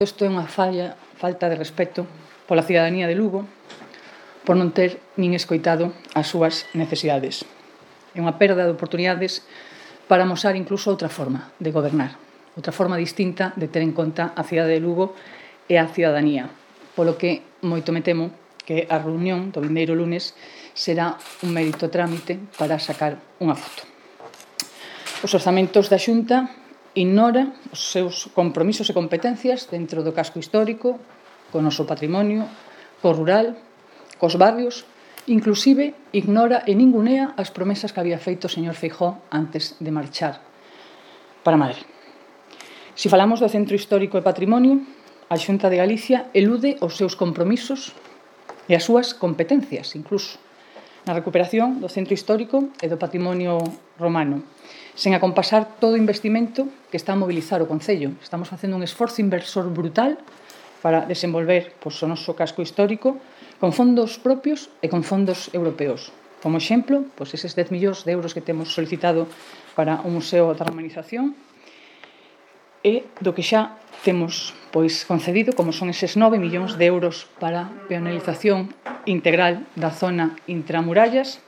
Isto é unha falta de respeto pola cidadanía de Lugo por non ter nin escoitado as súas necesidades. É unha perda de oportunidades para amosar incluso outra forma de gobernar, outra forma distinta de ter en conta a cidade de Lugo e a cidadanía, polo que moito me temo que a reunión do vindeiro lunes será un mérito trámite para sacar unha foto. Os orzamentos da Xunta ignora os seus compromisos e competencias dentro do casco histórico, co noso patrimonio, co rural, cos barrios, inclusive ignora e ningunea as promesas que había feito o señor Feijóo antes de marchar para Madrid. Se falamos do Centro Histórico e Patrimonio, a Xunta de Galicia elude os seus compromisos e as súas competencias, incluso, na recuperación do Centro Histórico e do Patrimonio Romano, sen acompasar todo o investimento que está a mobilizar o Concello. Estamos facendo un esforzo inversor brutal para desenvolver o noso casco histórico con fondos propios e con fondos europeos. Como exemplo, eses 10 millóns de euros que temos solicitado para o Museo da Romanización e do que xa temos concedido, como son eses 9 millóns de euros para a peonalización integral da zona intramurallas